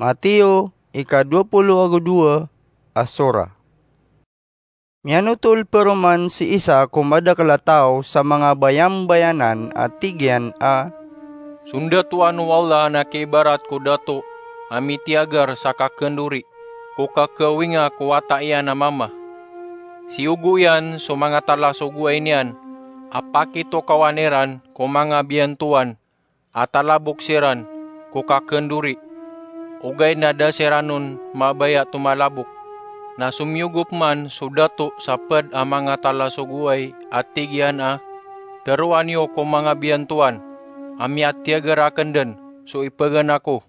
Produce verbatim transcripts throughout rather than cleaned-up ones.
Mateo, ika dowa polo ago dowa a sora. Miyanotol paroman si Isa ko madakl a taw sa manga bayambayanan a tig iyan a, "Sondatoan o Allah na kiibarat ko dato a mitiyagar sa kakndori ko kakawinga ko wata iyan a mama. Siyogo iyan so manga talasogoway niyan a pakitokawan iran ko manga biyantowan a talabok siran ko kakndori, ogaid na da siran on mabaya tomalabok. Na somiyogop man so dato sa pd a manga talasogoway a tig iyan a, 'Tharoa niyo ko manga biyantowan a miyatiyagar akn dn so ipaganako.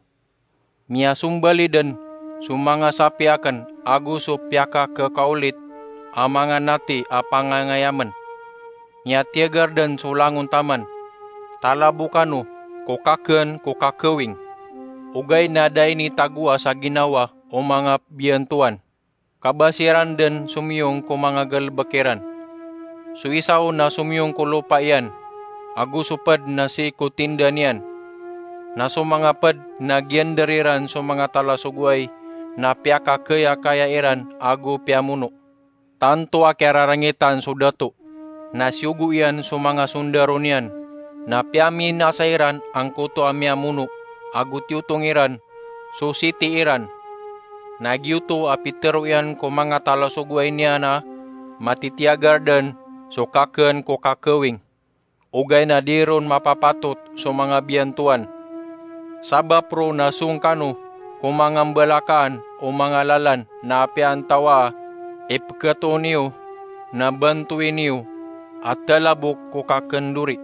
Miyasombali dn so manga sapi akn ago so piyakakakaolit a manga nati a pangangayamn. Miyatiyagar dn so langon taman. Talabokan o ko kakn ko kakawing.' Ogaid na da initagoa sa ginawa o manga biyantowan, ka ba siran dn somiyong ko manga galbk iran. So isa on na somiyong ko lopa iyan, ago so pd na sii ko tinda niyan. Na so manga pd na giyandar iran so manga talasogoway na piyakakayakaya iran ago piyamono, tanto a kiyararangitan so dato. Na siyogo iyan so manga sondaro niyan, na piyaminasa iran angkoto a miyamono, ago tiyotong iran so siti iran. Na giyoto a pitharo iyan ko manga talasogoway niyan a matitiyagar dn so kakn ko kakawing, ogaid na di ron mapapatot so manga biyantowan. Sabap roo na song kano ko manga mbalakaan o manga lalan na apiya antawaa i pkhatoon iyo na bantoin iyo a talabok ko kakndori.'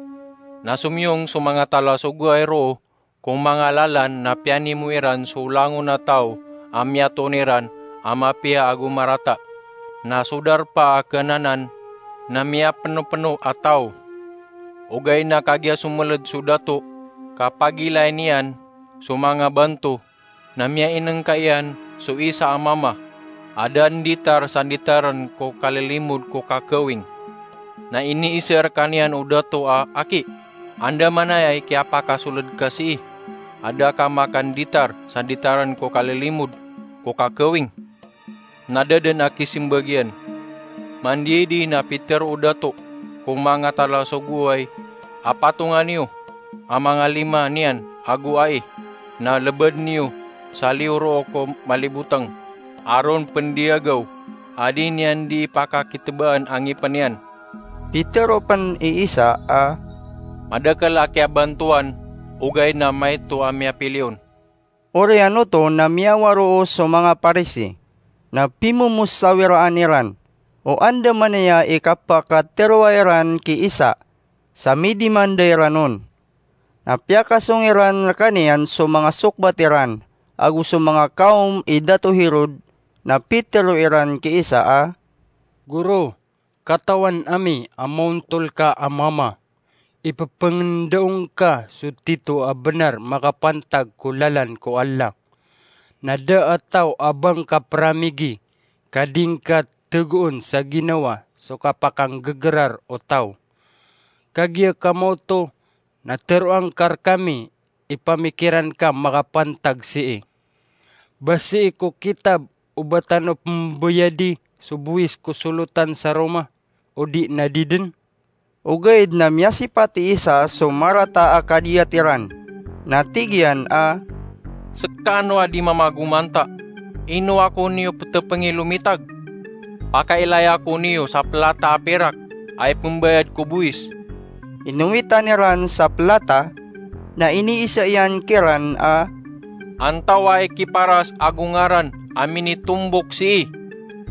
Na somiyong so manga talasogoway roo ko manga lalan na piyanimo iran so langon a taw a miyatoon iran a mapiya ago marata. Na so darpa a khanan na miyapnopno a taw. Ogaid na kagiya someled so dato ka pagilain iyan so manga banto, na miyainengka iyan so isa a mama a da nditar sa nditarn ko kalilimod ko kakawing. Na iniiza rkaniyan o dato a, 'Aki, andamanaya i kiyapakasoled ka sii a da ka makanditar sa nditarn ko kalilimod ko kakawing?' Na da dn a kisimbag iyan. Mandiyaidi na pitharo o dato ko manga talasogoway a, 'Patonga niyo a manga lima niyan ago ai, na lebad niyo sa liyo roo ko malibotang a ron pndiyagaw a di niyan di ipakakitebaan a ngipn iyan.' Pitharo pn i Isa a, "Madakl a kiyabantowan, ogaid na maito a miyapiliyon." Oriyan oto na miyawaro so manga Parisi, na pimomosawiraan iran o andamanaya i kapakatharoa iran ki Isa sa midimanda iran on. Na piyakasong iran rkaniyan so manga sokbat iran ago so manga kawm i Dato Herod, na pitharo iran ki Isa a, "Goro, katawan ami a maontol ka a mama. Ipepengenda ngka so tito a benar makapantag ko lalan ko Allah. Na da a taw a ba ngka peramigi ka di ngka tegoon sa ginawa so kapakanggegerar o taw. Kagiya ka maoto na tharoa ngka rekami i pamikiran ka makapantag sii. Ba sii ko kitab o ba tano pembayadi so bowis ko solotan sa Roma, o di na di den?" Ogaid na miyasipat i Isa so marata a kadiyat iran, na tig iyan a, "Sekano a di mamagomanta, ino ako niyo petepengi lomitag? Pakailaya ko niyo sa pelata a pirak a ipembayad ko bowis." Inowitan iran sa pelata, na iniisa iyan kiran a, "Antawaa i kiparas ago ngaran a minitombok sii?"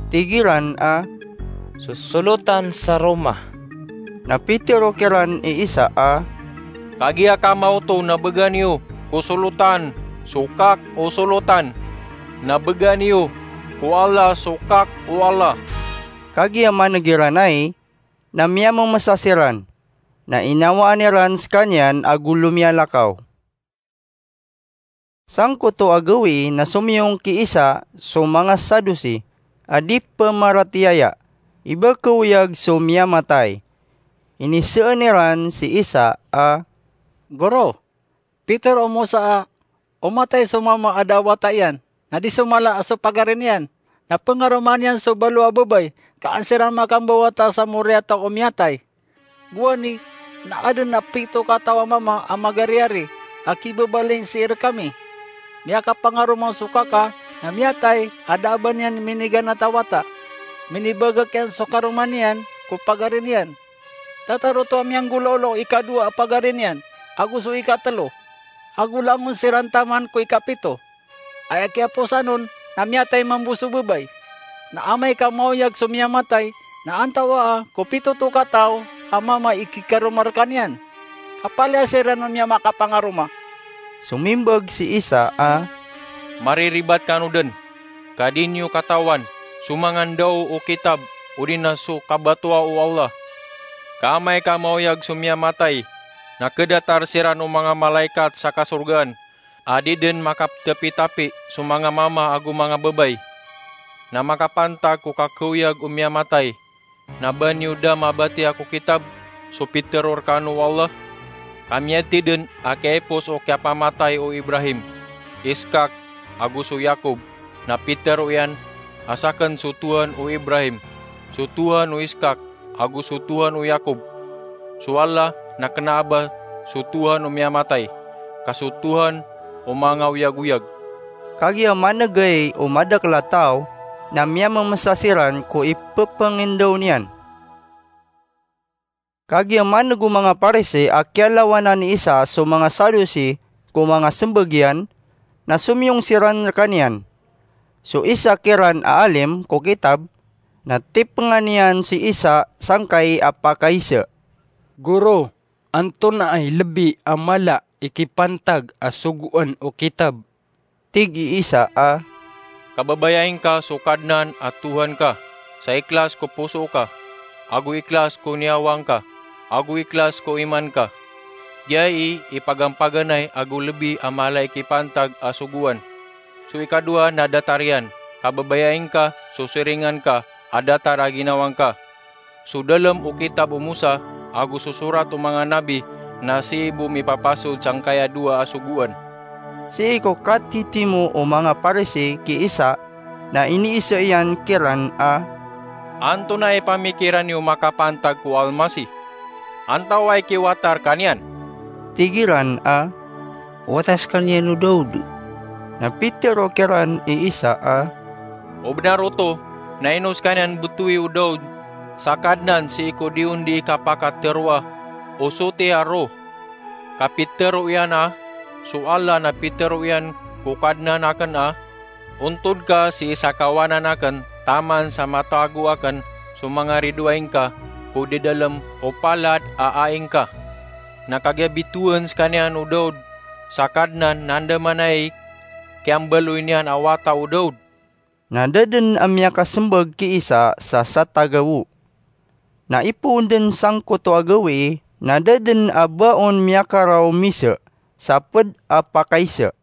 Tig iran a, "So solotan sa Roma." Na pitero kiran i Isa a, "Kagiya ka maoto na began iyo ko solotan so kak o solotan, na began iyo ko Allah so kak o Allah." Kagiya maneg iran ai, na miyamemesa siran, na inawaan iran sekaniyan ago lomiyalakaw. Sangkoto a gawii na somiyong ki Isa so manga Sadusi a di pemaratiyaya, i ba kaoyag so miyamatay. Iniseen iran si Isa a, "Goro, pitero o Mosa a O matay so mama a da a wata iyan, na di so mala a so pagari niyan, na pengaromaan iyan so balo a babay, ka an siran makambawata sa moriyataw o miyatay. Gowani na aden a pito kataw a mama a magariyari a kibabaling sii rekami. Miyakapangaroma so kaka na miyatay a da a ba niyan miniganat a wata. Minibagak iyan so karoma niyan ko pagari niyan. Datar oto a miyanggolawla o ikadowa a pagari niyan, ago so ikatelo, ago langon siran taman ko ikapito. Aya kiyaposan on na miyatay mambo so babay. Na amay ka maoyag so miyamatay, na antawaa ko pito to kataw a mama i kikaroma rekaniyan? Ka palaya siran on miyamakapangaroma. Somimbag si Isa a, "Mariribat kano den, ka di niyo katawan so manga ndao o kitab odi na so kabatoa o Allah. Ka amay ka maoyag so miyamatay, na kedatar siran o manga malaikat sa kasorgaan, a di den makaptapitapi so manga mama ago manga babay. Na makapantag ko kakaoyag o miyamatay, na ba niyo da mabatiya ko kitab so pitero rekano o Allah? Ka miyathay den a kiyaipos o kiyapamatay o Ibrahim, Iskak, ago so Yakob, na pitero iyan a saken so Tohan o Ibrahim, so Tohan o Iskak, ago so Tohan o Yakob. So Allah na kena a ba so Tohan o miyamatay, ka so Tohan o manga oyagoyag." Kagiya manegay o madakel a taw na miyamemesa siran ko ipepengindaw niyan. Kagiya maneg o manga Parisi a kiyalawanan i Isa so manga Sadusi ko manga sembag iyan, na somiyong siran rekaniyan. So isa kiran a alim ko kitab na tipengan iyan si Isa sangkai a pakaisa. "Goro, antonaa i lebi a mala i kipantag a sogoan o kitab?" Tig i Isa a, "Kababayai ngka so Kadnan a Tohan ka sa ikhlas ko poso ka, ago ikhlas ko niyawa ngka, ago ikhlas ko iman ka. Giyai i pagampaganay ago lebi a mala i kipantag a sogoan. So ikadowa na datar iyan, 'Kababayai ngka so siringan ka a datar a ginawa ngka.' So dalem o kitab o Mosa ago so sorat o manga nabi na sii bo mipapasod sangkaya dowa a sogoan." Sii ko katitimo o manga Parisi ki Isa na iniisa iyan kiran a, "Antonaa i pamikiran iyo makapantag ko Almasih? Antawaa i kiwata rekaniyan?" Tig iran a, "Wata sekaniyan o Daud." Na pitero kiran i Isa a, "O benar oto na ino sekaniyan betowi o Daud sa Kadnan sii ko di on di kapakateroa o soti a roh, ka pitero iyan a so Allah na pitero iyan ko Kadnan aken a, 'Ontod ka sii sa kawanan aken taman sa matago aken so manga ridoay ngka ko dadalem o palad a ai ngka.' Na kagiya bitowan sekaniyan o Daud sa Kadnan na andamanaya i kiyambaloy niyan a wata o Daud." Na da den a miyakasembag ki Isa sa satagawo. Na ipoon den sangkoto a gawii, na da den a ba on miyakaraw misa sa ped a pakaisa.